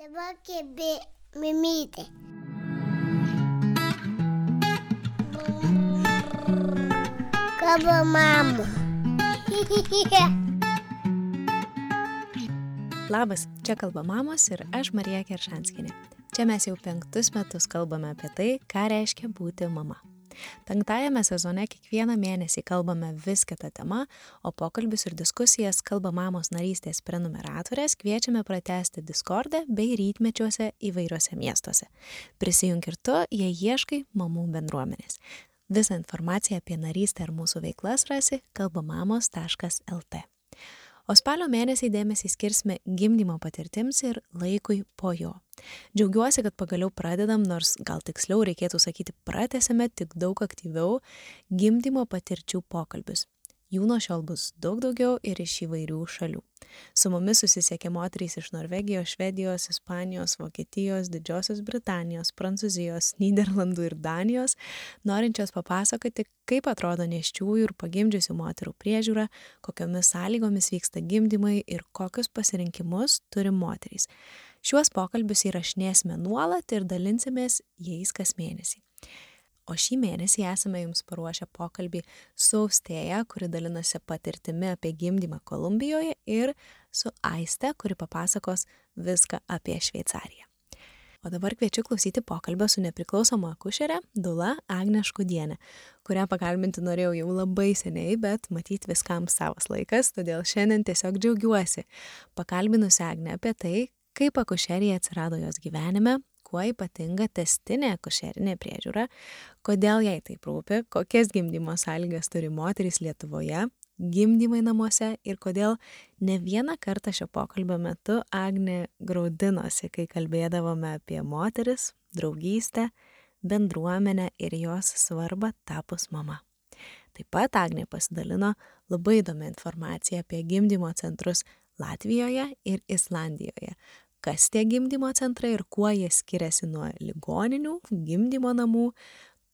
Dabar kebė mimytė. Kalba mama. Labas, čia kalba mamos ir aš Marija Keršanskienė. Čia mes jau 5 metus kalbame apie tai, ką reiškia būti mama. 5 sezone kiekvieną mėnesį kalbame vis kitą temą, o pokalbius ir diskusijas Kalba mamos narystės prenumeratorės kviečiame pratęsti Discorde bei rytmečiuose įvairiuose miestuose. Prisijunk ir tu, jei ieškai mamų bendruomenės. Visą informaciją apie narystę ir mūsų veiklas rasi kalbamamos.lt. O spalio mėnesį dėmesį skirsime gimdymo patirtims ir laikui po jo. Džiaugiuosi, kad pagaliau pradedam, nors gal tiksliau reikėtų sakyti pratęsime tik daug aktyviau gimdymo patirčių pokalbius. Jų nuo šiol bus daug daugiau ir iš įvairių šalių. Su mumis susisiekė moterys iš Norvegijos, Švedijos, Ispanijos, Vokietijos, Didžiosios Britanijos, Prancūzijos, Nyderlandų ir Danijos, norinčios papasakoti, kaip atrodo nėščiųjų ir pagimdžiusių moterų priežiūra, kokiomis sąlygomis vyksta gimdymai ir kokius pasirinkimus turi moterys. Šiuos pokalbius įrašinėsime nuolat ir dalinsimės jais kas mėnesį. O šį mėnesį esame jums paruošę pokalbį su Austėja, kuri dalinasi patirtimi apie gimdymą Kolumbijoje, ir su Aiste, kuri papasakos viską apie Šveicariją. O dabar kviečiu klausyti pokalbio su nepriklausoma akušere Dula Agne Škudiene, kurią pakalbinti norėjau jau labai seniai, bet matyt viskam savas laikas, todėl šiandien tiesiog džiaugiuosi pakalbinusi Agnę apie tai, kaip akušerija atsirado jos gyvenime, kuo ypatinga tęstinė akušerinė priežiūra, kodėl jai taip rūpi, kokias gimdymo sąlygas turi moterys Lietuvoje, gimdymai namuose ir kodėl ne vieną kartą šio pokalbio metu Agnė graudinosi, kai kalbėdavome apie moteris, draugystę, bendruomenę ir jos svarbą tapus mama. Taip pat Agnė pasidalino labai įdomią informaciją apie gimdymo centrus Latvijoje ir Islandijoje. Kas tie gimdymo centrai ir kuo jie skiriasi nuo ligoninių, gimdymo namų,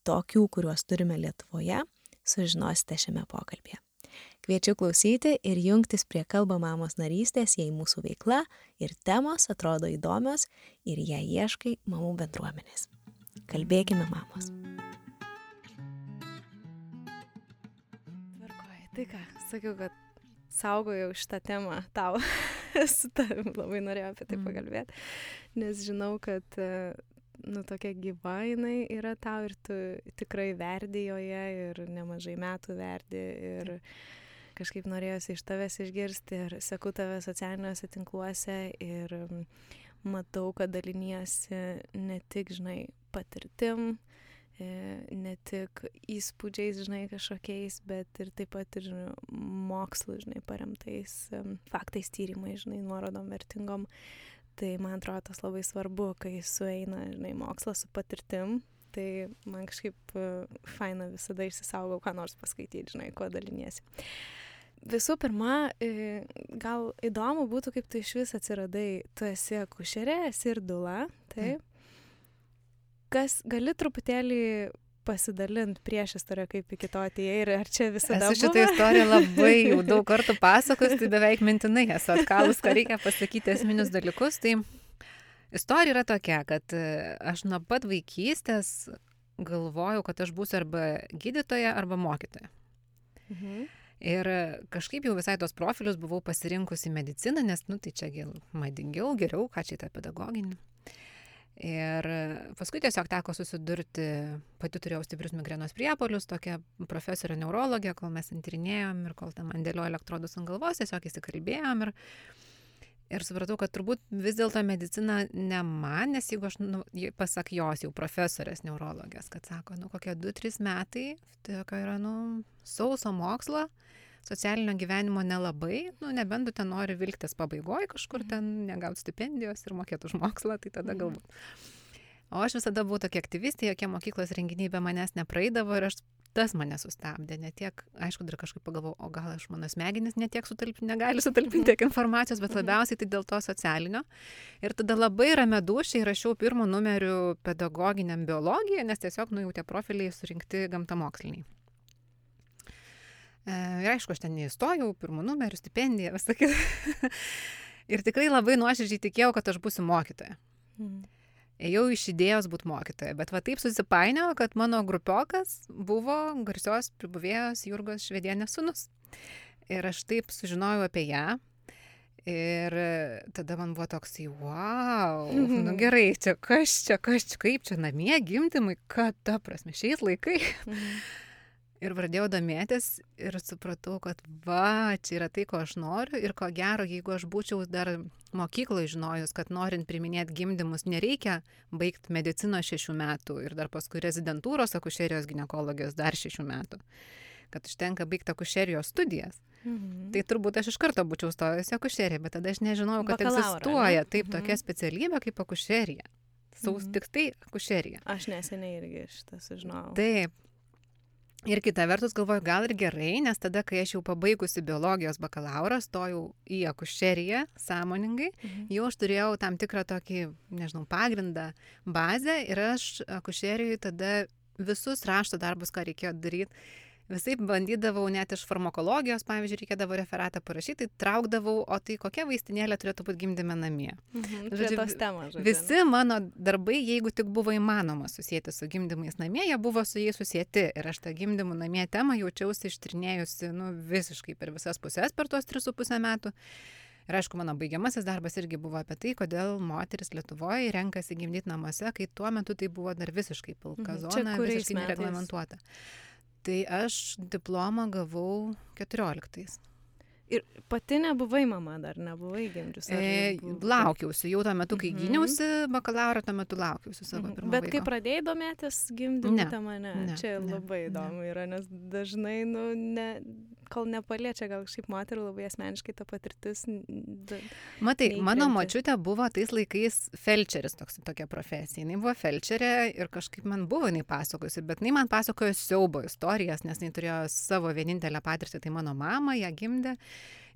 tokių, kuriuos turime Lietuvoje, sužinosite šiame pokalbėje. Kviečiu klausyti ir jungtis prie Kalba mamos narystės, jei mūsų veikla ir temos atrodo įdomios ir jei ieškai mamų bendruomenės. Kalbėkime, mamos. Tvarkoji, tai ką, sakiau, kad saugojau šitą temą tau. Su tavim labai norėjau apie tai pakalbėti, nes žinau, kad tokia gyva jinai yra tau ir tu tikrai verdi joje ir nemažai metų verdi ir kažkaip norėjosi iš tavęs išgirsti ir seku tave socialiniuose tinkluose ir matau, kad daliniesi ne tik, patirtim, ne tik įspūdžiais, kažkokiais, bet ir taip pat ir mokslu, paremtais faktais, tyrimais, nuorodom vertingom. Tai man atrodo tas labai svarbu, kai sueina, mokslas su patirtim. Tai man kažkaip faina visada išsisaugau, ką nors paskaityti, kuo daliniesi. Visų pirma, gal įdomu būtų, kaip tu iš vis atsiradai. Tu esi akušerė, esi ir Dula, taip? Kas gali truputėlį pasidalinti prieš istoriją, kaip iki to atėjai ir ar čia visada buvo? Esu šitą istoriją labai jau daug kartų pasakos, tai beveik mintinai esu atkalus, ką reikia pasakyti esminius dalykus. Tai istorija yra tokia, kad aš nuo pat vaikystės galvojau, kad aš būsiu arba gydytoja, arba mokytoja. Ir kažkaip jau visai tos profilius buvau pasirinkusi mediciną, nes, tai čia madingiau, geriau, ką čia tą pedagoginį. Ir paskui tiesiog teko susidurti, pati turėjau stiprius migrenos priepuolius, tokia profesorė neurologė, kol mes tyrinėjom ir kol man dėliojo elektrodus ant galvos, tiesiog įsikalbėjom ir supratau, kad turbūt vis dėlto medicina ne man, nes jeigu aš, pasak jos jau profesorės neurologės, kad sako, kokie 2-3 metai, tai yra, sauso mokslo, socialinio gyvenimo nelabai, nebent tu ten nori vilktis pabaigoje kažkur ten, negauti stipendijos ir mokėti už mokslą, tai tada galbūt. O aš visada buvau tokia aktyvistė, jokie mokyklos renginiai be manęs nepraeidavo ir tas mane sustabdė. Ne tiek, aišku, dar kažkaip pagalvojau, o gal aš mano smegenis ne tiek negali sutalpinti tiek informacijos, bet labiausiai tai dėl to socialinio. Ir tada labai ramia dūšiai rašiau 1 numeriu pedagoginiam biologiją, nes tiesiog, jau tie profiliai surinkti gamtamoksliniai. Ir aišku, aš ten neįstojau, 1 numeriu, stipendiją, visą kitą. Ir tikrai labai nuoširdžiai tikėjau, kad aš būsiu mokytoja. Ėjau iš idėjos būti mokytoja, bet va taip susipainiojo, kad mano grupiokas buvo garsios pribuvėjos Jurgos Švedienės sūnus. Ir aš taip sužinojau apie ją. Ir tada man buvo toks, wow, nu gerai, čia kaip čia namie gimdymai, kad ta prasme, šiais laikai. Ir pradėjau domėtis ir supratau, kad va, čia yra tai, ko aš noriu ir ko gero, jeigu aš būčiau dar mokykloje žinojus, kad norint priiminėti gimdymus nereikia baigti medicinos 6 metų ir dar paskui rezidentūros akušerijos ginekologijos dar 6 metų, kad užtenka baigti akušerijos studijas. Tai turbūt aš iš karto būčiau stojusi akušeriją, bet tada aš nežinojau, kad egzistuoja taip tokia specialybė kaip akušerija. Tik tai akušerija. Aš neseniai irgi šitą sužinojau. Taip. Ir kita vertus galvoju, gal ir gerai, nes tada, kai aš jau pabaigusi biologijos bakalaurą, stojau į akušeriją sąmoningai, jau aš turėjau tam tikrą tokį, nežinau, pagrindą, bazę ir aš akušerijoje tada visus rašto darbus, ką reikėjo daryti, visai bandydavau net iš farmakologijos, pavyzdžiui, reikėdavo referatą parašyti, tai traukdavau, o tai kokia vaistinėlė turėtų būti gimdyme namie. Prie tos temos, visi mano darbai, jeigu tik buvo įmanoma susijęti su gimdymais namie, jie buvo su jais susijęti. Ir aš tą gimdymų namie temą jaučiausi ištrinėjusi visiškai per visas pusės per tos 3,5 metų. Ir aišku, mano baigiamasis darbas irgi buvo apie tai, kodėl moteris Lietuvoje renkasi gimdyti namuose, kai tuo metu tai buvo dar visiškai pilka zona, visiškai nereglamentuota. Tai aš diplomą gavau 14. Ir pati nebuvai mama dar, nebuvai gimdžius? Laukiausi, jau tuo metu, kai gyniausi bakalaurą, tuo metu laukiausi savo pirmo Bet vaiko. kai pradėjai domėtis gimdymų tema, Ne, čia labai įdomu yra, nes dažnai, kol nepaliečia gal kažkaip moterų labai asmeniškai ta patirtis. Matai, mano močiutė buvo tais laikais felčeris, tokia profesija. Jinai buvo felčerė ir kažkaip man buvo jinai pasakojusi, bet jinai man pasakojo siaubo istorijas, nes jinai turėjo savo vienintelę patirtį, tai mano mama ją gimdė.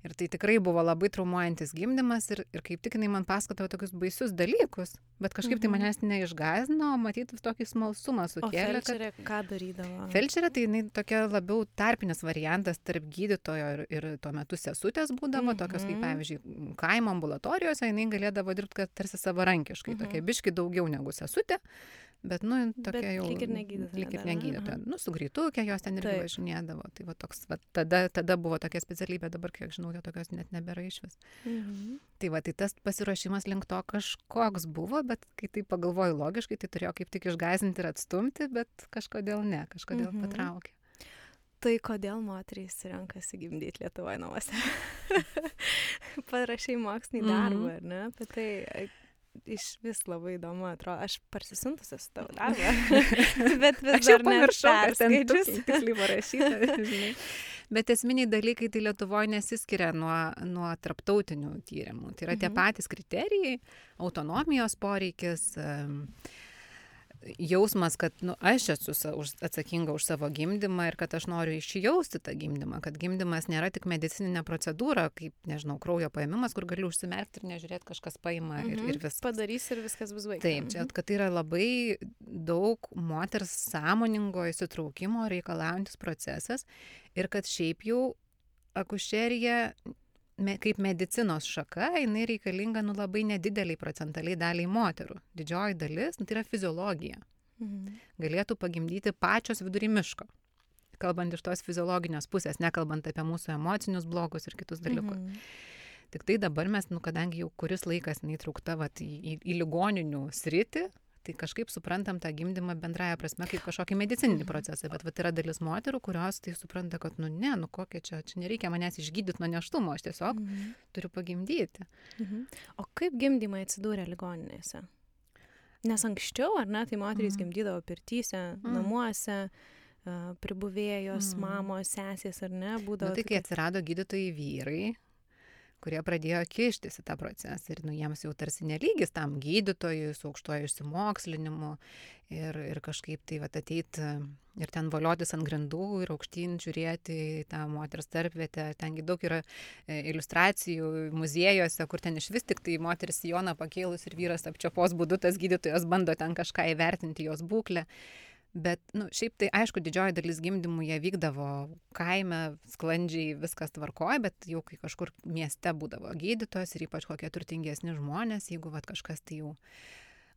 Ir tai tikrai buvo labai traumuojantis gimdymas ir kaip tik jinai man pasakojo tokius baisius dalykus, bet kažkaip tai manęs neišgąsdino, matyti tokį smalsumą sukėlė. O felčerė ką darydavo? Felčerė tai jinai tokia labiau tarpinis variantas tarp gydytojo ir tuo metu sesutės būdavo, tokios kaip pavyzdžiui kaimo ambulatorijose, jinai galėdavo dirbti tarsi savarankiškai, tokia biški daugiau negu sesutė. Bet, tokia jau... Lyg ir negydytoja. Su greitukė jos ten irgi važinėdavo. Tai va toks, tada buvo tokia specialybė, dabar, kiek žinau, jo tokios net nebėra išvis. Tai va, tai tas pasiruošimas link to kažkoks buvo, bet kai tai pagalvoju logiškai, tai turėjo kaip tik išgąsdinti ir atstumti, bet kažkodėl ne, kažkodėl patraukė. Tai kodėl moterys renkasi gimdyti Lietuvoje namuose? Parašai mokslinį darbą, ar ne? Apie tai... Iš vis labai įdomu, atrodo, aš parsisuntusi su tavo darbą, bet vis dar neperskaičius. Tiksliai parašyta, žinai. Bet esminiai dalykai tai Lietuvoje nesiskiria nuo tarptautinių tyrimų. Tai yra tie patys kriterijai, autonomijos poreikis, jausmas, kad aš esu atsakinga už savo gimdymą ir kad aš noriu išjausti tą gimdymą, kad gimdymas nėra tik medicininė procedūra, kaip, nežinau, kraujo paėmimas, kur gali užsimerkti ir nežiūrėti, kažkas paima ir viskas. Padarys ir viskas bus baigta. Taip, čia, kad tai yra labai daug moters sąmoningo įsitraukimo reikalaujantis procesas ir kad šiaip jau akušerija kaip medicinos šaka, jinai reikalinga labai nedideliai procentaliai daliai moterų. Didžioji dalis, tai yra fiziologija. Galėtų pagimdyti pačios vidury miško. Kalbant iš tos fiziologinės pusės, nekalbant apie mūsų emocinius blokus ir kitus dalykus. Tik tai dabar mes, kadangi jau kuris laikas neįtraukta į ligoninių sritį, tai kažkaip suprantam tą gimdymą bendraja prasme kaip kažkokį medicininį procesą, bet yra dalis moterų, kurios tai supranta, kad kokia čia nereikia manęs išgydyti nuo nėštumo, aš tiesiog turiu pagimdyti. O kaip gimdymai atsidūrė ligoninėse? Nes anksčiau, ar ne, tai moterys gimdydavo pirtyse, namuose, pribuvėjos, mamos, sesės, ar ne, būdavo... Tai kai atsirado gydytojai vyrai, kurie pradėjo kištis į tą procesą ir jiems jau tarsi nelygis tam gydytojui su aukštuoju išsimokslinimu ir kažkaip tai ateiti ir ten voliotis ant grindų ir aukštyn žiūrėti į tą moters tarpvietę. Tengi daug yra iliustracijų muziejuose, kur ten iš vis tik tai moteris sijoną pakėlus ir vyras apčiopos būdu tas gydytojas bando ten kažką įvertinti jos būklę. Bet, šiaip tai, aišku, didžioji dalis gimdymų jie vykdavo kaime, sklandžiai, viskas tvarkoja, bet jau kai kažkur mieste būdavo gydytojas ir ypač kokie turtingesni žmonės, jeigu kažkas tai jau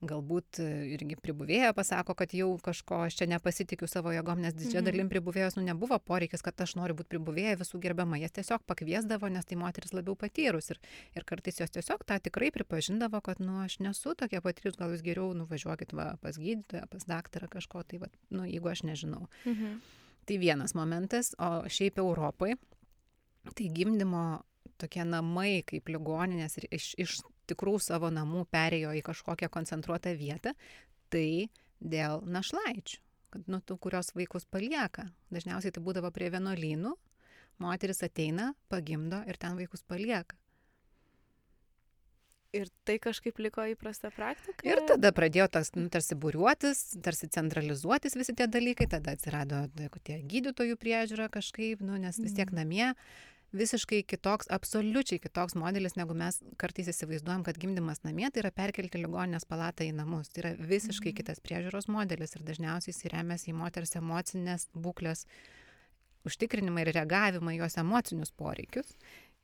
galbūt irgi pribuvėja pasako, kad jau kažko aš čia nepasitikiu savo jėgom, nes didžia dalim pribuvėjos nebuvo poreikis, kad aš noriu būti pribuvėja visų gerbiama. Jas tiesiog pakviesdavo, nes tai moteris labiau patyrus. Ir kartais jos tiesiog tą tikrai pripažindavo, kad aš nesu tokia patyrus, gal jūs geriau nuvažiuokit pas gydytoją, pas daktarą kažko, tai jeigu aš nežinau. Tai vienas momentas, o šiaip Europai, tai gimdymo tokie namai kaip ligoninės ir iš tikrų savo namų perėjo į kažkokią koncentruotą vietą, tai dėl našlaičių, kad tų, kurios vaikus palieka. Dažniausiai tai būdavo prie vienuolynų, moteris ateina, pagimdo ir ten vaikus palieka. Ir tai kažkaip liko įprasta praktika? Ir tada pradėjo tarsi būriuotis, tarsi centralizuotis visi tie dalykai, tada atsirado tie gydytojų priežiūra kažkaip, nes vis tiek namie visiškai kitoks, absoliučiai kitoks modelis, negu mes kartais įsivaizduojam, kad gimdymas namie tai yra perkelti ligoninės palatą į namus. Tai yra visiškai kitas priežiūros modelis ir dažniausiai jis remiasi į moters emocinės būklės užtikrinimą ir reagavimą į jos emocinius poreikius.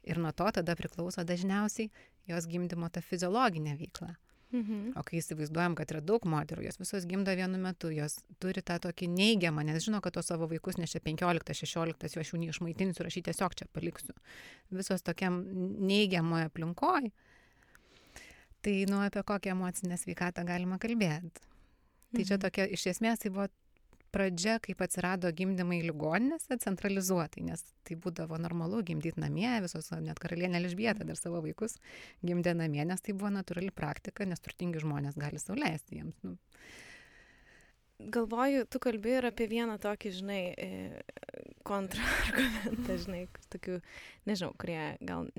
Ir nuo to tada priklauso dažniausiai jos gimdymo ta fiziologinė veikla. O kai įsivaizduojam, kad yra daug moterų, jos visos gimdo vienu metu, jos turi tą tokį neigiamą, nes žino, kad tos savo vaikus nešia 15-16, jo aš jų neišmaitinsiu ir aš jį tiesiog čia paliksiu. Visos tokiam neigiamoje aplinkoje. Tai apie kokią emocinę sveikatą galima kalbėti. Tai čia tokia, iš esmės, tai buvo pradžia, kaip atsirado gimdymai ligoninėse centralizuotai, nes tai būdavo normalu gimdyti namie, visos, net karalienė Elžbieta dar savo vaikus gimdė namie, nes tai buvo natūrali praktika, nes turtingi žmonės gali sau leisti jiems. Galvoju, tu kalbi ir apie vieną tokį, kontrargumentą, tokių, nežinau, kurie gal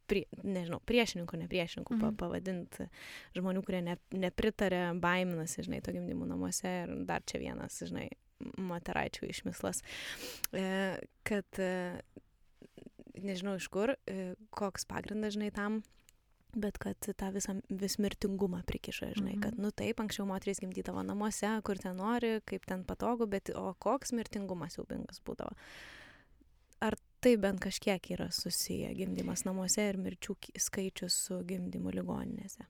priešininkų, nepriešininkų pavadinti žmonių, kurie nepritarė, baiminasi, to gimdymų namuose ir dar čia vienas, moteraičių išmislas, kad nežinau iš kur, koks pagrindas, tam, bet kad tą vis mirtingumą prikiša, kad taip, anksčiau moterys gimdydavo namuose, kur ten nori, kaip ten patogu, bet o koks mirtingumas siaubingas būdavo. Ar tai bent kažkiek yra susiję gimdymas namuose ir mirčių skaičius su gimdymu ligoninėse?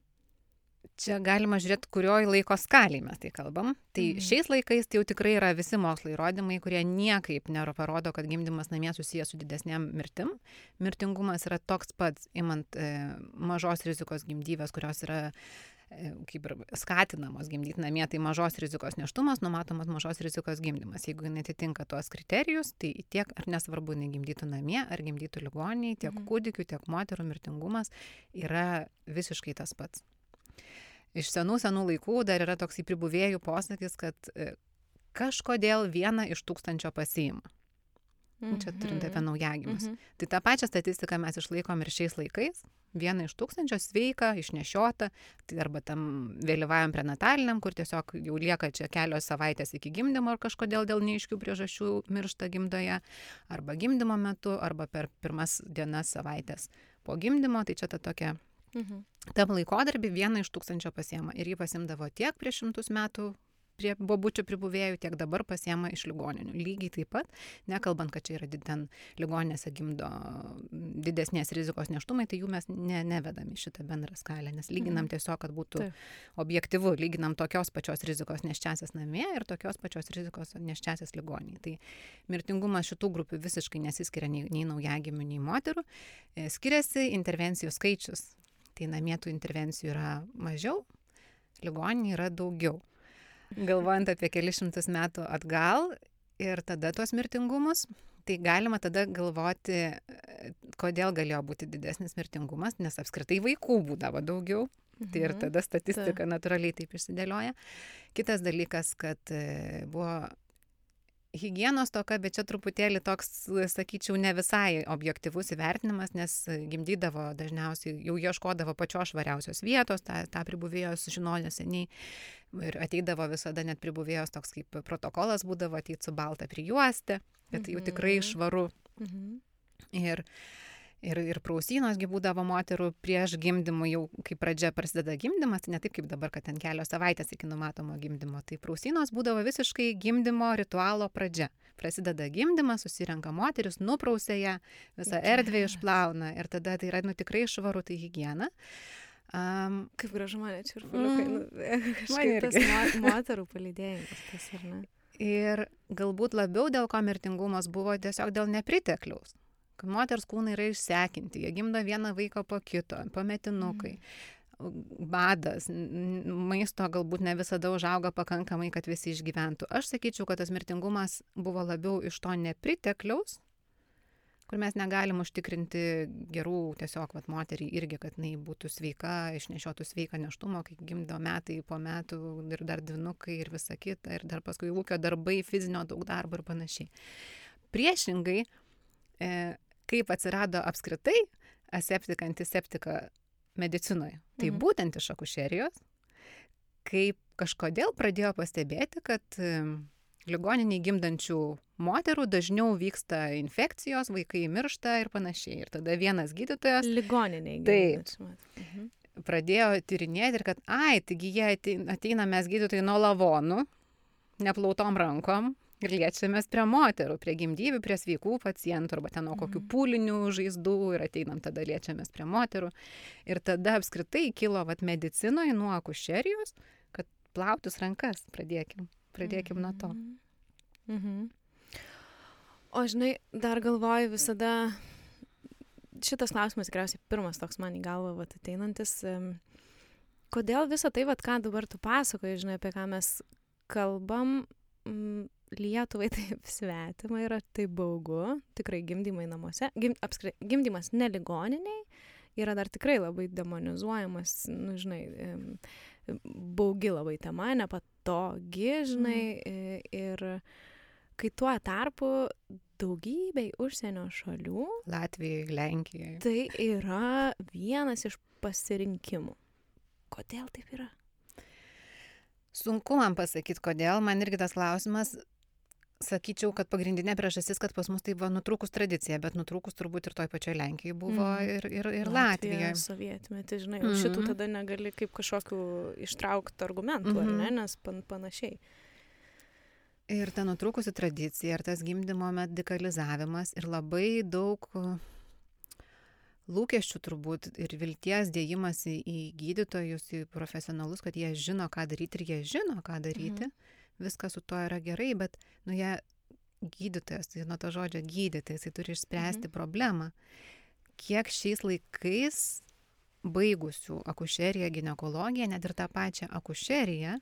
Čia galima žiūrėti, kurioj laiko skaliai mes tai kalbam. Tai šiais laikais tai jau tikrai yra visi mokslo įrodymai, kurie niekaip neparodo, kad gimdymas namie susijęs su didesnėm mirtim. Mirtingumas yra toks pats, imant mažos rizikos gimdyvės, kurios yra kaip ir skatinamos gimdyti namie, tai mažos rizikos nėštumas, numatomas mažos rizikos gimdymas. Jeigu netitinka tuos kriterijus, tai tiek ar nesvarbu, negimdytų namie, ar gimdytų ligoniniai, tiek kūdikių, tiek moterų mirtingumas yra visiškai tas pats. Iš senų laikų dar yra toks pribuvėjų posakis, kad kažkodėl 1 iš 1000 pasiima. Čia turint apie naujagimius. Tai tą pačią statistiką mes išlaikom ir šiais laikais. 1 iš 1000 sveika, išnešiota, tai arba tam vėlyvajam prenataliniam, kur tiesiog jau lieka čia kelios savaitės iki gimdymo ir kažkodėl dėl neaiškių priežasčių miršta gimdoje, arba gimdymo metu, arba per pirmas dienas savaitės po gimdymo, tai čia ta tokia. Tam laikotarpį 1 iš 1000 pasiema ir jį pasimdavo tiek prieš 100 metų prie bobučių pribuvėjų, tiek dabar pasiema iš ligoninių. Lygiai taip pat, nekalbant, kad čia yra ten ligoninėse gimdo didesnės rizikos nėštumai, tai jų mes nevedam į šitą bendrą skalę, nes lyginam tiesiog, kad būtų objektyvu, lyginam tokios pačios rizikos nėščiasias namie ir tokios pačios rizikos nėščiasias ligoninėje. Tai mirtingumas šitų grupių visiškai nesiskiria nei naujagimių, nei moterų. Skiriasi intervencijų skaičius. Tai namie tų intervencijų yra mažiau, ligoninėje yra daugiau. Galvojant apie kelius šimtus metų atgal ir tada tuos mirtingumus, tai galima tada galvoti, kodėl galėjo būti didesnis mirtingumas, nes apskritai vaikų būdavo daugiau. Tai ir tada statistika natūraliai taip išsidėlioja. Kitas dalykas, kad buvo higienos toka, bet čia truputėlį toks, sakyčiau, ne visai objektyvus įvertinimas, nes gimdydavo dažniausiai, jau ieškodavo pačios švariausios vietos, tą pribuvėjos žinojo seniai ir ateidavo visada net pribuvėjos toks kaip protokolas būdavo ateiti su balta prijuostė, kad jau tikrai švaru. Ir prausynosgi būdavo moterų prieš gimdymą, jau kai pradžia prasideda gimdymas, tai ne taip kaip dabar, kad ten kelios savaitės iki numatomo gimdymo. Tai prausynos būdavo visiškai gimdymo ritualo pradžia. Prasideda gimdymas, susirenka moteris, nuprausė ją, visą erdvę išplauna ir tada tai yra tikrai švaru, tai higiena. Kaip gražu mane čirpuliukai. Kažkaip tas moterų palydėjimas, tas ar ne? Ir galbūt labiau dėl ko mirtingumas buvo tiesiog dėl nepritekliaus. Kad moters kūnai yra išsekinti, jie gimdo vieną vaiką po kito, pametinukai, badas, maisto galbūt ne visada užauga pakankamai, kad visi išgyventų. Aš sakyčiau, kad tas mirtingumas buvo labiau iš to nepritekliaus, kur mes negalim užtikrinti gerų tiesiog moteriai irgi, kad jinai būtų sveika, išnešiotų sveiką nėštumą, kai gimdo metai po metų ir dar dvynukai ir visa kita, ir dar paskui ūkio darbai, fizinio daug darbo ir panašiai. Priešingai, kaip atsirado apskritai aseptika, antiseptika medicinoje. Tai būtent iš akušerijos, kaip kažkodėl pradėjo pastebėti, kad ligoniniai gimdančių moterų dažniau vyksta infekcijos, vaikai miršta ir panašiai. Ir tada vienas gydytojas ligoniniai gimdančių. Pradėjo tyrinėti ir kad, taigi jie ateina mes gydytojai nuo lavonų, neplautom rankom, ir liečiamės prie moterų, prie gimdyvių, prie sveikų pacientų, arba ten nuo kokių pūlinių žaizdų ir ateinam tada liečiamės prie moterų. Ir tada apskritai kilo medicinoje nuo akušerijos, kad plautis rankas pradėkim nuo to. O žinai, dar galvoju visada, šitas klausimas tikriausiai pirmas toks man į galvą ateinantis, kodėl visą tai, ką dabar tu pasakoji, žinai, apie ką mes kalbam, Lietuvai taip svetima yra, taip baugu, tikrai gimdymai namuose, gimdymas ne ligoniniai yra dar tikrai labai demonizuojamas, baugi labai tema, nepatogi, žinai, ir kai tuo tarpu daugybei užsienio šalių, Latvijai, Lenkijai, tai yra vienas iš pasirinkimų. Kodėl taip yra? Sunku man pasakyti, kodėl, man irgi tas klausimas. Sakyčiau, kad pagrindinė priežastis, kad pas mus tai buvo nutrūkus tradicija, bet nutrūkus turbūt ir toj pačioj Lenkijai buvo ir Latvijoje. Sovietmetį, žinai, šitų tada negali kaip kažkokių ištraukti argumentų, ar ne, nes panašiai. Ir ta nutrūkusi tradicija, ir tas gimdymo medikalizavimas, ir labai daug lūkesčių turbūt, ir vilties dėjimas į gydytojus, į profesionalus, kad jie žino, ką daryti, ir jie žino, ką daryti. Viskas su to yra gerai, bet jie gydytojas, tai nuo to žodžio gydyti, jisai turi išspręsti problemą. Kiek šiais laikais baigusių akušeriją, ginekologiją, net ir tą pačią akušeriją,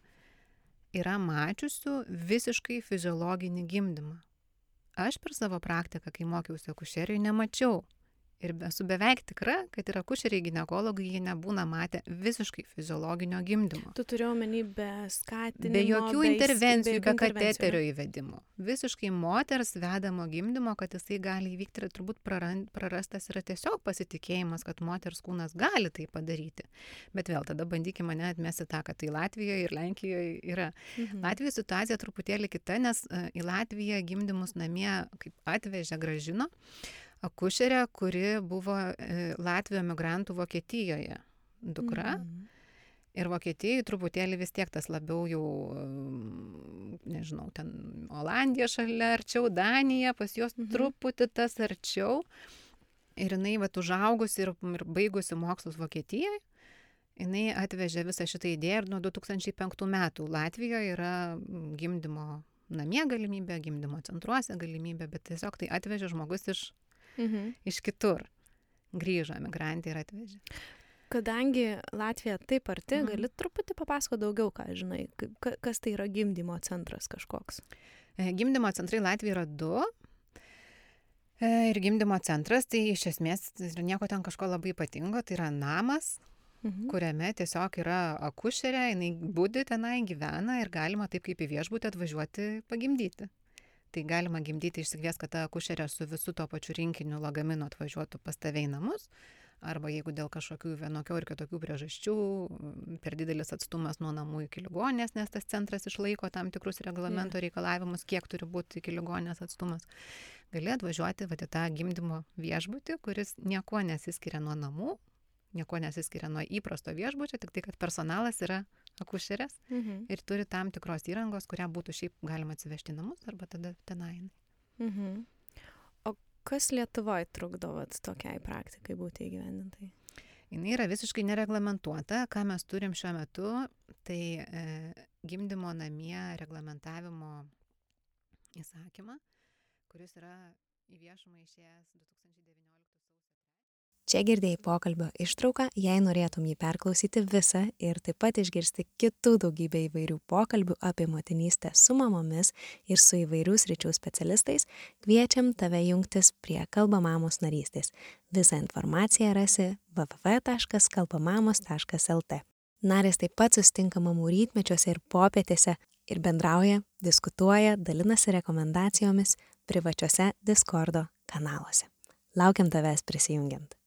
yra mačiusių visiškai fiziologinį gimdymą. Aš per savo praktiką, kai mokiausi akušerijoje, nemačiau. Ir esu beveik tikra, kad ir akušeriai ginekologai, jie nebūna matę visiškai fiziologinio gimdymo. Tu turi omeny be skatinimo, be jokių intervencijų, be kateterio įvedimo. Visiškai moters vedamo gimdymo, kad jisai gali įvykti, ir turbūt prarastas yra tiesiog pasitikėjimas, kad moters kūnas gali tai padaryti. Bet vėl tada bandykime mane atmesti tą, kad tai Latvijoje ir Lenkijoje yra. Latvijoje situacija truputėlį kita, nes į Latviją gimdymus namie kaip atvežė, grąžino akušerė, kuri buvo Latvijos emigrantų Vokietijoje dukra. Ir Vokietijai truputėlį vis tiek tas labiau jau, nežinau, ten Olandija šalia arčiau, Danija, pas juos truputį tas arčiau. Ir jinai užaugusi ir baigusi mokslus Vokietijoje, jinai atvežė visą šitą idėją ir nuo 2005 metų Latvijoje yra gimdymo namie galimybė, gimdymo centruose galimybė, bet tiesiog tai atvežė žmogus iš kitur. Grįžo emigrantė ir atvežė. Kadangi Latvija taip arti, gali truputį papasako daugiau, ką žinai, kas tai yra gimdymo centras kažkoks? Gimdymo centrai Latvijoje yra 2. Ir gimdymo centras, tai iš esmės nieko ten kažko labai ypatingo, tai yra namas, kuriame tiesiog yra akušerė, jinai budi tenai, gyvena ir galima taip kaip į viešbutį atvažiuoti pagimdyti. Tai galima gimdyti, išsikvies, kad ta akušerė su visu to pačiu rinkiniu lagaminu atvažiuotų pas tave į namus, arba jeigu dėl kažkokių vienokių ir kitokių priežasčių, per didelis atstumas nuo namų iki ligoninės, nes tas centras išlaiko tam tikrus reglamento reikalavimus, kiek turi būti iki ligoninės atstumas. gali atvažiuoti į tą gimdymo viešbutį, kuris niekuo nesiskiria nuo namų, niekuo nesiskiria nuo įprasto viešbučio, tik tai, kad personalas yra akušerės ir turi tam tikros įrangos, kurią būtų šiaip galima atsivežti į namus arba tada tenai. O kas Lietuvoje trukdo tokiai praktikai būti įgyvendintai? Jis yra visiškai nereglamentuota. Ką mes turim šiuo metu, tai gimdymo namie reglamentavimo įsakymą, kuris yra į viešumą išėjęs 2019 Čia girdėjai pokalbio ištrauką, jei norėtum jį perklausyti visą ir taip pat išgirsti kitų daugybę įvairių pokalbių apie motinystę su mamomis ir su įvairių sričių specialistais, kviečiam tave jungtis prie Kalba mamos narystės. Visą informaciją rasi www.kalbamamos.lt. Narės taip pat susitinka mamų rytmečiuose ir popietėse ir bendrauja, diskutuoja, dalinasi rekomendacijomis privačiuose Discordo kanaluose. Laukiam tavęs prisijungiant.